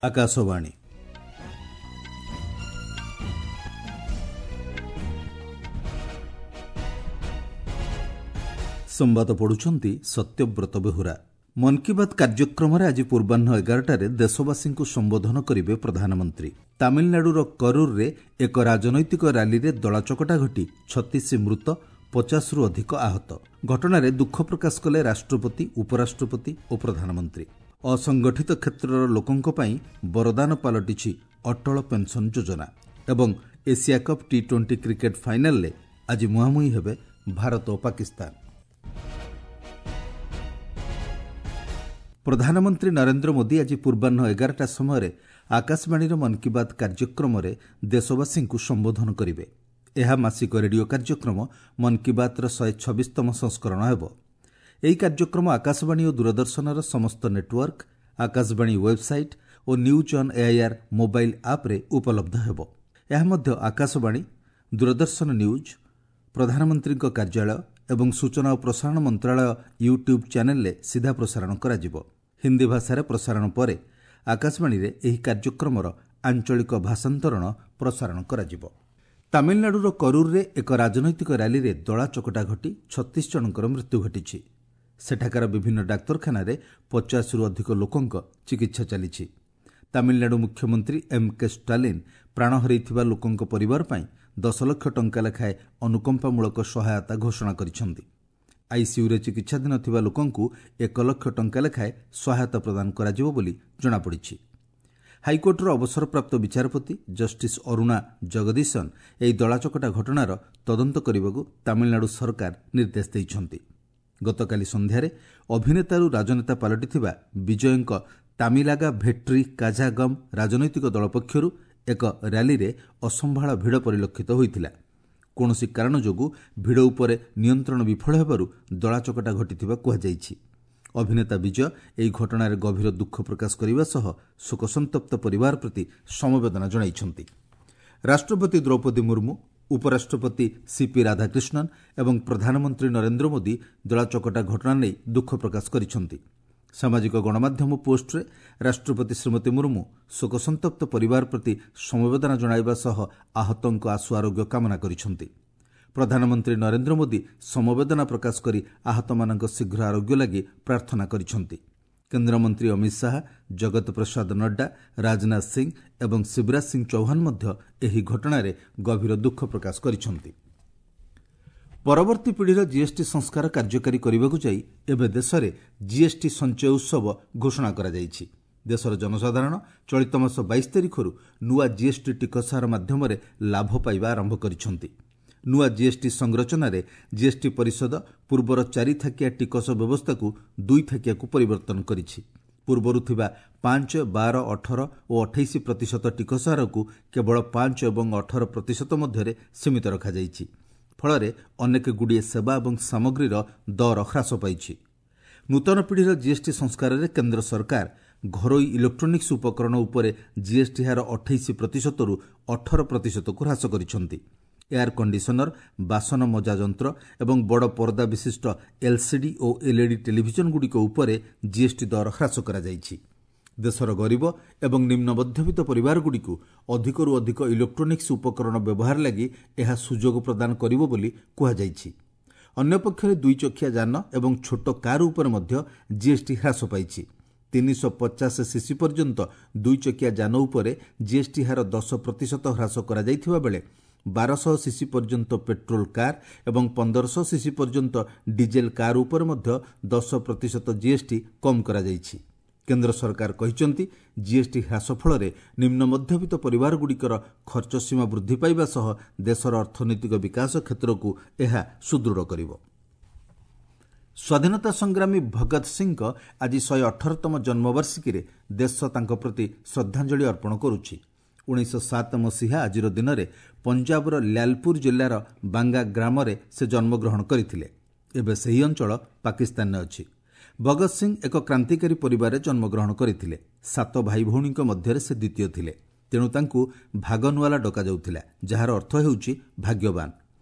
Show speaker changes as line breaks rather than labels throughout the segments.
ଆକାଶବାଣୀ। ସମ୍ବାଦ ପଢୁଛନ୍ତି ସତ୍ୟବ୍ରତ ବେହୁରା। ମନ୍ କି ବାତ୍ କାର୍ଯ୍ୟକ୍ରମରେ ଆଜି ପୂର୍ବାହ୍ନ 11ଟାରେ ଦେଶବାସୀଙ୍କୁ ସମ୍ବୋଧନ କରିବେ ପ୍ରଧାନମନ୍ତ୍ରୀ। ତାମିଲନାଡୁର କରୁରରେ ଏକ ରାଜନୈତିକ ରାଲିରେ ଦଳାଚକଟା ଘଟି 36 ମୃତ, 50ରୁ ଅଧିକ ଆହତ। ଘଟଣାରେ ଦୁଃଖ ପ୍ରକାଶ କଲେ ରାଷ୍ଟ୍ରପତି, ଉପରାଷ୍ଟ୍ରପତି ଓ ପ୍ରଧାନମନ୍ତ୍ରୀ। ଅସଂଗଠିତ କ୍ଷେତ୍ରର ଲୋକଙ୍କ ପାଇଁ ବରଦାନ ପାଲଟିଛି ଅଟଳ ପେନ୍ସନ୍ ଯୋଜନା। ଏବଂ ଏସିଆ କପ୍ ଟି-20 କ୍ରିକେଟ୍ ଫାଇନାଲ୍ରେ ଆଜି ମୁହାଁମୁହିଁ ହେବେ ଭାରତ ଓ ପାକିସ୍ତାନ। ପ୍ରଧାନମନ୍ତ୍ରୀ ନରେନ୍ଦ୍ର ମୋଦି ଆଜି ପୂର୍ବାହ୍ନ 11ଟା ସମୟରେ ଆକାଶବାଣୀର ମନ୍ କି ବାତ୍ କାର୍ଯ୍ୟକ୍ରମରେ ଦେଶବାସୀଙ୍କୁ ସମ୍ବୋଧନ କରିବେ। ଏହା ମାସିକ ରେଡିଓ କାର୍ଯ୍ୟକ୍ରମ ମନ୍ କି ବାତ୍ର 126ତମ ସଂସ୍କରଣ ହେବ। ଏହି କାର୍ଯ୍ୟକ୍ରମ ଆକାଶବାଣୀ ଓ ଦୂରଦର୍ଶନର ସମସ୍ତ network, Akashvani website O news on AIR mobile ଆପ୍ରେ ଉପଲବ୍ଧ ହେବ। ଏହା ମଧ୍ୟ ଆକାଶବାଣୀ, ଦୂରଦର୍ଶନ ନ୍ୟୁଜ୍, ପ୍ରଧାନମନ୍ତ୍ରୀଙ୍କ କାର୍ଯ୍ୟାଳୟ ଏବଂ ସୂଚନା ଓ ପ୍ରସାରଣ ମନ୍ତ୍ରଣାଳୟ ୟୁଟ୍ୟୁବ୍ ଚ୍ୟାନେଲ୍ରେ ସିଧା ପ୍ରସାରଣ କରାଯିବ। ହିନ୍ଦୀ ଭାଷାରେ ପ୍ରସାରଣ ପରେ ଆକାଶବାଣୀରେ ଏହି କାର୍ଯ୍ୟକ୍ରମର ଆଞ୍ଚଳିକ ଭାଷାନ୍ତରଣ ପ୍ରସାରଣ କରାଯିବ। ତାମିଲନାଡୁର କରୁରରେ ଏକ ରାଜନୈତିକ ରାଲିରେ ଦଳାଚକଟା ଘଟି 36 ଜଣଙ୍କର ମୃତ୍ୟୁ ଘଟିଛି। ସେଠାକାର ବିଭିନ୍ନ ଡାକ୍ତରଖାନାରେ 50ରୁ ଅଧିକ ଲୋକଙ୍କ ଚିକିତ୍ସା ଚାଲିଛି। ତାମିଲନାଡୁ ମୁଖ୍ୟମନ୍ତ୍ରୀ ଏମ୍ କେ ଷ୍ଟାଲିନ୍ ପ୍ରାଣ ହରାଇଥିବା ଲୋକଙ୍କ ପରିବାର ପାଇଁ 10 ଲକ୍ଷ ଟଙ୍କା ଲେଖାଏଁ ଅନୁକମ୍ପାମୂଳକ ସହାୟତା ଘୋଷଣା କରିଛନ୍ତି। ଆଇସିୟୁରେ ଚିକିତ୍ସାଧୀନ ଥିବା ଲୋକଙ୍କୁ 1 ଲକ୍ଷ ଟଙ୍କା ଲେଖାଏଁ ସହାୟତା ପ୍ରଦାନ କରାଯିବ ବୋଲି ଜଣାପଡ଼ିଛି। ହାଇକୋର୍ଟର ଅବସରପ୍ରାପ୍ତ ବିଚାରପତି ଜଷ୍ଟିସ୍ ଅରୁଣା ଜଗଦୀଶନ୍ ଏହି ଦଳାଚକଟା ଘଟଣାର ତଦନ୍ତ କରିବାକୁ ତାମିଲନାଡୁ ସରକାର ନିର୍ଦ୍ଦେଶ ଦେଇଛନ୍ତି। ଗତକାଲି ସନ୍ଧ୍ୟାରେ ଅଭିନେତାରୁ ରାଜନେତା ପାଲଟିଥିବା ବିଜୟଙ୍କ ତାମିଲାଗା ଭେଟ୍ରି କାଝାଗମ୍ ରାଜନୈତିକ ଦଳ ପକ୍ଷରୁ ଏକ ର୍ୟାଲିରେ ଅସମ୍ଭାଳ ଭିଡ଼ ପରିଲକ୍ଷିତ ହୋଇଥିଲା। କୌଣସି କାରଣ ଯୋଗୁଁ ଭିଡ଼ ଉପରେ ନିୟନ୍ତ୍ରଣ ବିଫଳ ହେବାରୁ ଦଳାଚକଟା ଘଟିଥିବା କୁହାଯାଇଛି। ଅଭିନେତା ବିଜୟ ଏହି ଘଟଣାରେ ଗଭୀର ଦୁଃଖ ପ୍ରକାଶ କରିବା ସହ ଶୋକସନ୍ତପ୍ତ ପରିବାର ପ୍ରତି ସମବେଦନା ଜଣାଇଛନ୍ତି। ରାଷ୍ଟ୍ରପତି ଦ୍ରୌପଦୀ ମୁର୍ମୁ, ଉପରାଷ୍ଟ୍ରପତି ସିପି ରାଧାକ୍ରିଷ୍ଣନ୍ ଏବଂ ପ୍ରଧାନମନ୍ତ୍ରୀ ନରେନ୍ଦ୍ର ମୋଦି ଦଳାଚକଟା ଘଟଣା ନେଇ ଦୁଃଖ ପ୍ରକାଶ କରିଛନ୍ତି। ସାମାଜିକ ଗଣମାଧ୍ୟମ ପୋଷ୍ଟରେ ରାଷ୍ଟ୍ରପତି ଶ୍ରୀମତୀ ମୁର୍ମୁ ଶୋକସନ୍ତପ୍ତ ପରିବାର ପ୍ରତି ସମବେଦନା ଜଣାଇବା ସହ ଆହତଙ୍କ ଆଶୁ ଆରୋଗ୍ୟ କାମନା କରିଛନ୍ତି। ପ୍ରଧାନମନ୍ତ୍ରୀ ନରେନ୍ଦ୍ର ମୋଦି ସମବେଦନା ପ୍ରକାଶ କରି ଆହତମାନଙ୍କ ଶୀଘ୍ର ଆରୋଗ୍ୟ ଲାଗି ପ୍ରାର୍ଥନା କରିଛନ୍ତି। କେନ୍ଦ୍ରମନ୍ତ୍ରୀ ଅମିତ ଶାହା, ଜଗତ ପ୍ରସାଦ ନଡ୍ଡା, ରାଜନାଥ ସିଂ ଏବଂ ଶିବରାଜ ସିଂ ଚୌହାନ ମଧ୍ୟ ଏହି ଘଟଣାରେ ଗଭୀର ଦୁଃଖ ପ୍ରକାଶ କରିଛନ୍ତି। ପରବର୍ତ୍ତୀ ପିଢ଼ିର ଜିଏସ୍ଟି ସଂସ୍କାର କାର୍ଯ୍ୟକାରୀ କରିବାକୁ ଯାଇ ଏବେ ଦେଶରେ ଜିଏସ୍ଟି ସଞ୍ଚୟ ଉତ୍ସବ ଘୋଷଣା କରାଯାଇଛି। ଦେଶର ଜନସାଧାରଣ ଚଳିତ ମାସ 22 ତାରିଖରୁ ନୂଆ ଜିଏସ୍ଟି ଟିକସ ହାର ମାଧ୍ୟମରେ ଲାଭ ପାଇବା ଆରମ୍ଭ କରିଛନ୍ତି। ନୂଆ ଜିଏସ୍ଟି ସଂରଚନାରେ ଜିଏସ୍ଟି ପରିଷଦ ପୂର୍ବର 4 ଥାକିଆ ଟିକସ ବ୍ୟବସ୍ଥାକୁ 2 ଥାକିଆକୁ ପରିବର୍ତ୍ତନ କରିଛି। ପୂର୍ବରୁ ଥିବା 5, 12, 18 ଓ 28% ଟିକସ ହାରକୁ କେବଳ 5 ଏବଂ 18% ମଧ୍ୟରେ ସୀମିତ ରଖାଯାଇଛି। ଫଳରେ ଅନେକ ଗୁଡ଼ିଏ ସେବା ଏବଂ ସାମଗ୍ରୀର ଦର ହ୍ରାସ ପାଇଛି। ନୂତନ ପିଢ଼ିର ଜିଏସ୍ଟି ସଂସ୍କାରରେ କେନ୍ଦ୍ର ସରକାର ଘରୋଇ ଇଲେକ୍ଟ୍ରୋନିକ୍ସ ଉପକରଣ ଉପରେ ଜିଏସ୍ଟି ହାର 28%ରୁ 18%କୁ ହ୍ରାସ କରିଛନ୍ତି। ଏୟାର କଣ୍ଡିସନର, ବାସନ ମଜା ଯନ୍ତ୍ର ଏବଂ ବଡ଼ ପରଦା ବିଶିଷ୍ଟ ଏଲ୍ସିଡି ଓ ଏଲ୍ଇଡି ଟେଲିଭିଜନଗୁଡ଼ିକ ଉପରେ ଜିଏସ୍ଟି ଦର ହ୍ରାସ କରାଯାଇଛି। ଦେଶର ଗରିବ ଏବଂ ନିମ୍ନ ମଧ୍ୟବିତ୍ତ ପରିବାରଗୁଡ଼ିକୁ ଅଧିକରୁ ଅଧିକ ଇଲେକ୍ଟ୍ରୋନିକ୍ସ ଉପକରଣ ବ୍ୟବହାର ଲାଗି ଏହା ସୁଯୋଗ ପ୍ରଦାନ କରିବ ବୋଲି କୁହାଯାଇଛି। ଅନ୍ୟପକ୍ଷରେ ଦୁଇଚକିଆ ଯାନ ଏବଂ ଛୋଟ କାର୍ ଉପରେ ମଧ୍ୟ ଜିଏସ୍ଟି ହ୍ରାସ ପାଇଛି। 350 ସିସି ପର୍ଯ୍ୟନ୍ତ ଦୁଇଚକିଆ ଯାନ ଉପରେ ଜିଏସ୍ଟି ହାର 10% ହ୍ରାସ କରାଯାଇଥିବା ବେଳେ 1200 ସିସି ପର୍ଯ୍ୟନ୍ତ ପେଟ୍ରୋଲ କାର୍ ଏବଂ 1500 ସିସି ପର୍ଯ୍ୟନ୍ତ ଡିଜେଲ କାର୍ ଉପରେ ମଧ୍ୟ 10% ଜିଏସ୍ଟି କମ୍ କରାଯାଇଛି। କେନ୍ଦ୍ର ସରକାର କହିଛନ୍ତି, ଜିଏସ୍ଟି ହ୍ରାସ ଫଳରେ ନିମ୍ନ ମଧ୍ୟବିତ୍ତ ପରିବାରଗୁଡ଼ିକର ଖର୍ଚ୍ଚ ସୀମା ବୃଦ୍ଧି ପାଇବା ସହ ଦେଶର ଅର୍ଥନୈତିକ ବିକାଶ କ୍ଷେତ୍ରକୁ ଏହା ସୁଦୃଢ଼ କରିବ। ସ୍ୱାଧୀନତା ସଂଗ୍ରାମୀ ଭଗତ ସିଂଙ୍କ ଆଜି 118ତମ ଜନ୍ମବାର୍ଷିକୀରେ ଦେଶ ତାଙ୍କ ପ୍ରତି ଶ୍ରଦ୍ଧାଞ୍ଜଳି ଅର୍ପଣ କରୁଛି। 1907 ମସିହା ଆଜିର ଦିନରେ ପଞ୍ଜାବର ଲ୍ୟାଲପୁର ଜିଲ୍ଲାର ବାଙ୍ଗା ଗ୍ରାମରେ ସେ ଜନ୍ମଗ୍ରହଣ କରିଥିଲେ। ଏବେ ସେହି ଅଞ୍ଚଳ ପାକିସ୍ତାନରେ ଅଛି। ଭଗତ ସିଂ ଏକ କ୍ରାନ୍ତିକାରୀ ପରିବାରରେ ଜନ୍ମଗ୍ରହଣ କରିଥିଲେ। 7 ଭାଇ ଭଉଣୀଙ୍କ ମଧ୍ୟରେ ସେ ଦ୍ୱିତୀୟ ଥିଲେ। ତେଣୁ ତାଙ୍କୁ ଭାଗନୱାଲା ଡକାଯାଉଥିଲା, ଯାହାର ଅର୍ଥ ହେଉଛି ଭାଗ୍ୟବାନ।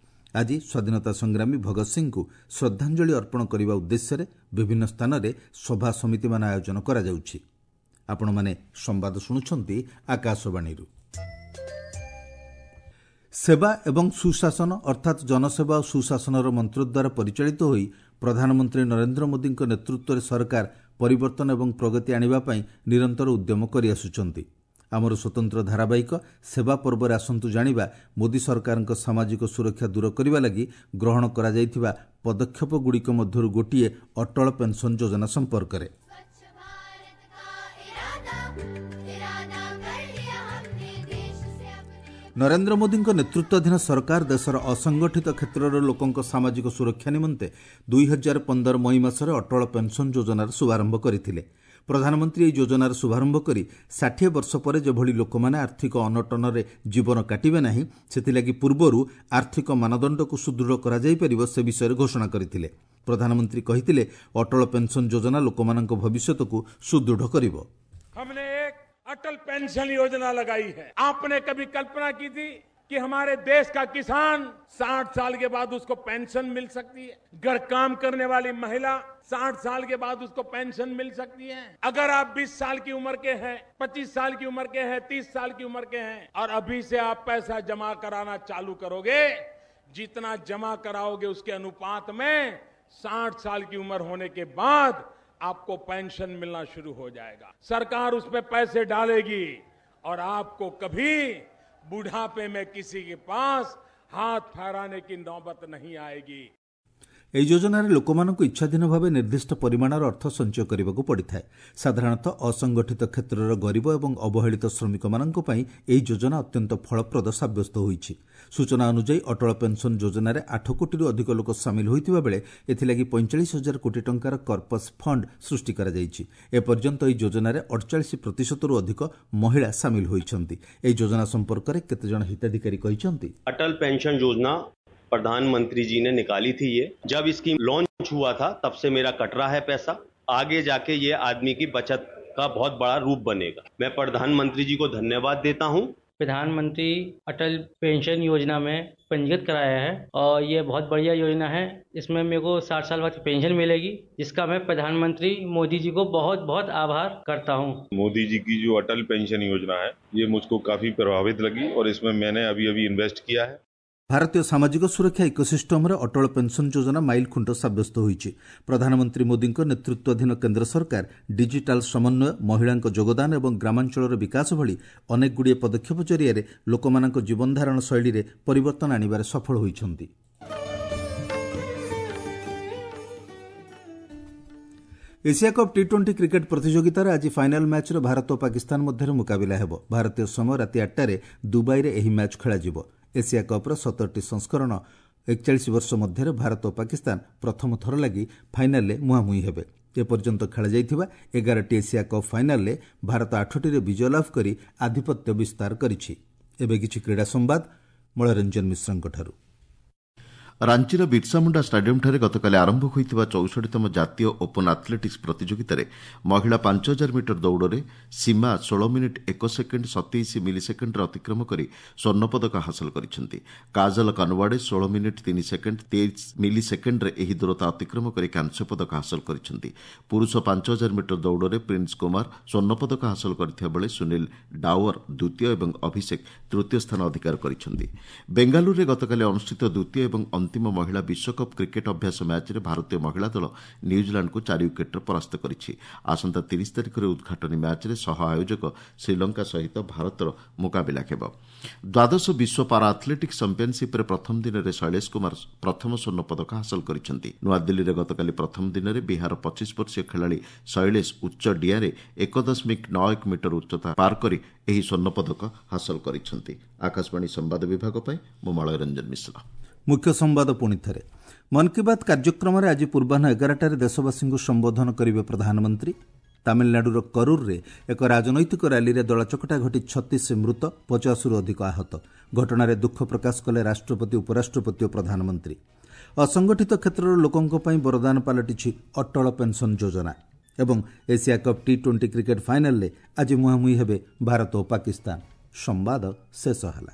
ଆଜି ସ୍ୱାଧୀନତା ସଂଗ୍ରାମୀ ଭଗତ ସିଂଙ୍କୁ ଶ୍ରଦ୍ଧାଞ୍ଜଳି ଅର୍ପଣ କରିବା ଉଦ୍ଦେଶ୍ୟରେ ବିଭିନ୍ନ ସ୍ଥାନରେ ସଭା ସମିତିମାନ ଆୟୋଜନ କରାଯାଉଛି। ଆପଣମାନେ ସମ୍ବାଦ ଶୁଣୁଛନ୍ତି ଆକାଶବାଣୀରୁ। ସେବା ଏବଂ ସୁଶାସନ ଅର୍ଥାତ୍ ଜନସେବା ଓ ସୁଶାସନର ମନ୍ତ୍ର ଦ୍ୱାରା ପରିଚାଳିତ ହୋଇ ପ୍ରଧାନମନ୍ତ୍ରୀ ନରେନ୍ଦ୍ର ମୋଦିଙ୍କ ନେତୃତ୍ୱରେ ସରକାର ପରିବର୍ତ୍ତନ ଏବଂ ପ୍ରଗତି ଆଣିବା ପାଇଁ ନିରନ୍ତର ଉଦ୍ୟମ କରିଆସୁଛନ୍ତି। ଆମର ସ୍ୱତନ୍ତ୍ର ଧାରାବାହିକ ସେବା ପର୍ବରେ ଆସନ୍ତୁ ଜାଣିବା ମୋଦି ସରକାରଙ୍କ ସାମାଜିକ ସୁରକ୍ଷା ଦୂର କରିବା ଲାଗି ଗ୍ରହଣ କରାଯାଇଥିବା ପଦକ୍ଷେପଗୁଡ଼ିକ ମଧ୍ୟରୁ ଗୋଟିଏ ଅଟଳ ପେନ୍ସନ୍ ଯୋଜନା ସମ୍ପର୍କରେ। ନରେନ୍ଦ୍ର ମୋଦିଙ୍କ ନେତୃତ୍ୱାଧୀନ ସରକାର ଦେଶର ଅସଂଗଠିତ କ୍ଷେତ୍ରର ଲୋକଙ୍କ ସାମାଜିକ ସୁରକ୍ଷା ନିମନ୍ତେ 2015 ମଇ ମାସରେ ଅଟଳ ପେନ୍ସନ୍ ଯୋଜନାର ଶୁଭାରମ୍ଭ କରିଥିଲେ। ପ୍ରଧାନମନ୍ତ୍ରୀ ଏହି ଯୋଜନାର ଶୁଭାରମ୍ଭ କରି 60 ବର୍ଷ ପରେ ଯେଭଳି ଲୋକମାନେ ଆର୍ଥିକ ଅନଟନରେ ଜୀବନ କାଟିବେ ନାହିଁ, ସେଥିଲାଗି ପୂର୍ବରୁ ଆର୍ଥିକ ମାନଦଣ୍ଡକୁ ସୁଦୃଢ଼ କରାଯାଇପାରିବ ସେ ବିଷୟରେ ଘୋଷଣା କରିଥିଲେ। ପ୍ରଧାନମନ୍ତ୍ରୀ କହିଥିଲେ, ଅଟଳ ପେନ୍ସନ୍ ଯୋଜନା ଲୋକମାନଙ୍କ ଭବିଷ୍ୟତକୁ ସୁଦୃଢ଼ କରିବ।
अटल पेंशन योजना लगाई है। आपने कभी कल्पना की थी कि हमारे देश का किसान 60 साल के बाद उसको पेंशन मिल सकती है? घर काम करने वाली महिला 60 साल के बाद उसको पेंशन मिल सकती है? अगर आप 20 साल की उम्र के हैं, 25 साल की उम्र के हैं, 30 साल की उम्र के हैं और अभी से आप पैसा जमा कराना चालू करोगे, जितना जमा कराओगे उसके अनुपात में 60 साल की उम्र होने के बाद आपको पेंशन मिलना शुरू हो जाएगा। सरकार उसमें पैसे डालेगी और आपको कभी बुढ़ापे में किसी के पास हाथ फैलाने की नौबत नहीं आएगी।
ଏହି ଯୋଜନାରେ ଲୋକମାନଙ୍କୁ ଇଚ୍ଛାଧୀନ ଭାବେ ନିର୍ଦ୍ଦିଷ୍ଟ ପରିମାଣର ଅର୍ଥ ସଞ୍ଚୟ କରିବାକୁ ପଡ଼ିଥାଏ। ସାଧାରଣତଃ ଅସଂଗଠିତ କ୍ଷେତ୍ରର ଗରିବ ଏବଂ ଅବହେଳିତ ଶ୍ରମିକମାନଙ୍କ ପାଇଁ ଏହି ଯୋଜନା ଅତ୍ୟନ୍ତ ଫଳପ୍ରଦ ସାବ୍ୟସ୍ତ ହୋଇଛି। ସୂଚନା ଅନୁଯାୟୀ ଅଟଳ ପେନ୍ସନ୍ ଯୋଜନାରେ 8 କୋଟିରୁ ଅଧିକ ଲୋକ ସାମିଲ ହୋଇଥିବା ବେଳେ ଏଥିଲାଗି 45,000 କୋଟି ଟଙ୍କାର କର୍ପସ୍ ଫଣ୍ଡ ସୃଷ୍ଟି କରାଯାଇଛି। ଏପର୍ଯ୍ୟନ୍ତ ଏହି ଯୋଜନାରେ 48%ରୁ ଅଧିକ ମହିଳା ସାମିଲ ହୋଇଛନ୍ତି। ଏହି ଯୋଜନା ସମ୍ପର୍କରେ କେତେଜଣ ହିତାଧିକାରୀ କହିଛନ୍ତି,
ଅଟଳ ପେନ୍ସନ୍ ଯୋଜନା प्रधानमंत्री जी ने निकाली थी। ये जब स्कीम लॉन्च हुआ था तब से मेरा कट रहा है पैसा। आगे जाके ये आदमी की बचत का बहुत बड़ा रूप बनेगा। मैं प्रधानमंत्री जी को धन्यवाद देता हूँ।
प्रधानमंत्री अटल पेंशन योजना में पंजीकृत कराया है और ये बहुत बढ़िया योजना है। इसमें मेरे को 60 साल बाद पेंशन मिलेगी, जिसका मैं प्रधानमंत्री मोदी जी को बहुत बहुत आभार करता हूँ।
मोदी जी की जो अटल पेंशन योजना है ये मुझको काफी प्रभावित लगी और इसमें मैंने अभी अभी इन्वेस्ट किया है।
ଭାରତୀୟ ସାମାଜିକ ସୁରକ୍ଷା ଇକୋସିଷ୍ଟମରେ ଅଟଳ ପେନ୍ସନ୍ ଯୋଜନା ମାଇଲଖୁଣ୍ଟ ସାବ୍ୟସ୍ତ ହୋଇଛି। ପ୍ରଧାନମନ୍ତ୍ରୀ ମୋଦିଙ୍କ ନେତୃତ୍ୱାଧୀନ କେନ୍ଦ୍ର ସରକାର ଡିଜିଟାଲ ସମନ୍ୱୟ, ମହିଳାଙ୍କ ଯୋଗଦାନ ଏବଂ ଗ୍ରାମାଞ୍ଚଳର ବିକାଶ ଭଳି ଅନେକଗୁଡ଼ିଏ ପଦକ୍ଷେପ ଜରିଆରେ ଲୋକମାନଙ୍କ ଜୀବନଧାରଣ ଶୈଳୀରେ ପରିବର୍ତ୍ତନ ଆଣିବାରେ ସଫଳ ହୋଇଛନ୍ତି। ଏସିଆ କପ୍ ଟି-20 କ୍ରିକେଟ୍ ପ୍ରତିଯୋଗିତାରେ ଆଜି ଫାଇନାଲ୍ ମ୍ୟାଚ୍ରେ ଭାରତ ଓ ପାକିସ୍ତାନ ମଧ୍ୟରେ ମୁକାବିଲା ହେବ। ଭାରତୀୟ ସମୟ ରାତି 8ଟାରେ ଦୁବାଇରେ ଏହି ମ୍ୟାଚ୍ ଖେଳାଯିବ। ଏସିଆ କପ୍ର 17ଟି ସଂସ୍କରଣ 41 ବର୍ଷ ମଧ୍ୟରେ ଭାରତ ଓ ପାକିସ୍ତାନ ପ୍ରଥମ ଥର ଲାଗି ଫାଇନାଲ୍ରେ ମୁହାଁମୁହିଁ ହେବେ। ଏପର୍ଯ୍ୟନ୍ତ ଖେଳାଯାଇଥିବା 11ଟି ଏସିଆ କପ୍ ଫାଇନାଲ୍ରେ ଭାରତ 8ଟିରେ ବିଜୟ ଲାଭ କରି ଆଧିପତ୍ୟ ବିସ୍ତାର କରିଛି। ଏବେ କିଛି କ୍ରୀଡ଼ା ସମ୍ବାଦ ମଳୟରଞ୍ଜନ ମିଶ୍ରଙ୍କଠାରୁ।
ରାଞ୍ଚିର ବିର୍ସାମୁଣ୍ଡା ଷ୍ଟାଡିୟମ୍ଠାରେ ଗତକାଲି ଆରମ୍ଭ ହୋଇଥିବା 64ତମ ଜାତୀୟ ଓପନ୍ ଆଥଲେଟିକ୍ସ ପ୍ରତିଯୋଗିତାରେ ମହିଳା 5000 ମିଟର ଦୌଡ଼ରେ ସୀମା 16 ମିନିଟ୍ 1 ସେକେଣ୍ଡ 27 ମିଲି ସେକେଣ୍ଡରେ ଅତିକ୍ରମ କରି ସ୍ୱର୍ଣ୍ଣପଦକ ହାସଲ କରିଛନ୍ତି। କାଜଲ କନୱାଡେ 16 ମିନିଟ୍ 3 ସେକେଣ୍ଡ 23 ମିଲି ସେକେଣ୍ଡରେ ଏହି ଦୂରତା ଅତିକ୍ରମ କରି କାଂସ୍ୟ ପଦକ ହାସଲ କରିଛନ୍ତି। ପୁରୁଷ 5000 ମିଟର ଦୌଡ଼ରେ ପ୍ରିନ୍ସ କୁମାର ସ୍ୱର୍ଣ୍ଣପଦକ ହାସଲ କରିଥିବା ବେଳେ ସୁନୀଲ ଡାୱର ଦ୍ୱିତୀୟ ଏବଂ ଅଭିଷେକ ତୃତୀୟ ସ୍ଥାନ ଅଧିକାର କରିଛନ୍ତି। ବେଙ୍ଗାଲୁରୁରେ ଗତକାଲି ଅନୁଷ୍ଠିତ ଦ୍ୱିତୀୟ ଏବଂ ଅନ୍ତିମ ମହିଳା ବିଶ୍ୱକପ୍ କ୍ରିକେଟ୍ ଅଭ୍ୟାସ ମ୍ୟାଚ୍ରେ ଭାରତୀୟ ମହିଳା ଦଳ ନ୍ୟୁଜିଲାଣ୍ଡକୁ 4 ୱିକେଟ୍ରେ ପରାସ୍ତ କରିଛି। ଆସନ୍ତା 30 ତାରିଖରେ ଉଦ୍ଘାଟନୀ ମ୍ୟାଚ୍ରେ ସହ ଆୟୋଜକ ଶ୍ରୀଲଙ୍କା ସହିତ ଭାରତର ମୁକାବିଲା ହେବ। ଦ୍ୱାଦଶ ବିଶ୍ୱ ପାରା ଆଥଲେଟିକ୍ସ ଚାମ୍ପିୟନସିପ୍ରେ ପ୍ରଥମ ଦିନରେ ଶୈଳେଶ କୁମାର ପ୍ରଥମ ସ୍ୱର୍ଣ୍ଣ ପଦକ ହାସଲ କରିଛନ୍ତି। ନୂଆଦିଲ୍ଲୀରେ ଗତକାଲି ପ୍ରଥମ ଦିନରେ ବିହାର 25 ବର୍ଷୀୟ ଖେଳାଳି ଶୈଳେଶ ଉଚ୍ଚ ଡିଆଁରେ 1.91 ମିଟର ଉଚ୍ଚତା ପାର କରି ଏହି ସ୍ୱର୍ଣ୍ଣ ପଦକ ହାସଲ କରିଛନ୍ତି। ଆକାଶବାଣୀ ସମ୍ବାଦ ବିଭାଗ ପାଇଁ ମୁଁ ମଳୟ ରଞ୍ଜନ ମିଶ୍ର।
ମୁଖ୍ୟ ସମ୍ବାଦ ପୁଣି ଥରେ। ମନ୍ କି ବାତ୍ କାର୍ଯ୍ୟକ୍ରମରେ ଆଜି ପୂର୍ବାହ୍ନ 11ଟାରେ ଦେଶବାସୀଙ୍କୁ ସମ୍ବୋଧନ କରିବେ ପ୍ରଧାନମନ୍ତ୍ରୀ। ତାମିଲନାଡୁର କରୁରରେ ଏକ ରାଜନୈତିକ ର୍ୟାଲିରେ ଦଳାଚକଟା ଘଟି 36 ମୃତ, 50ରୁ ଅଧିକ ଆହତ। ଘଟଣାରେ ଦୁଃଖ ପ୍ରକାଶ କଲେ ରାଷ୍ଟ୍ରପତି, ଉପରାଷ୍ଟ୍ରପତି ଓ ପ୍ରଧାନମନ୍ତ୍ରୀ। ଅସଂଗଠିତ କ୍ଷେତ୍ରର ଲୋକଙ୍କ ପାଇଁ ବରଦାନ ପାଲଟିଛି ଅଟଳ ପେନ୍ସନ୍ ଯୋଜନା। ଏବଂ ଏସିଆ କପ୍ ଟି-20 କ୍ରିକେଟ୍ ଫାଇନାଲ୍ରେ ଆଜି ମୁହାଁମୁହିଁ ହେବେ ଭାରତ ଓ ପାକିସ୍ତାନ। ସମ୍ବାଦ ଶେଷ ହେଲା।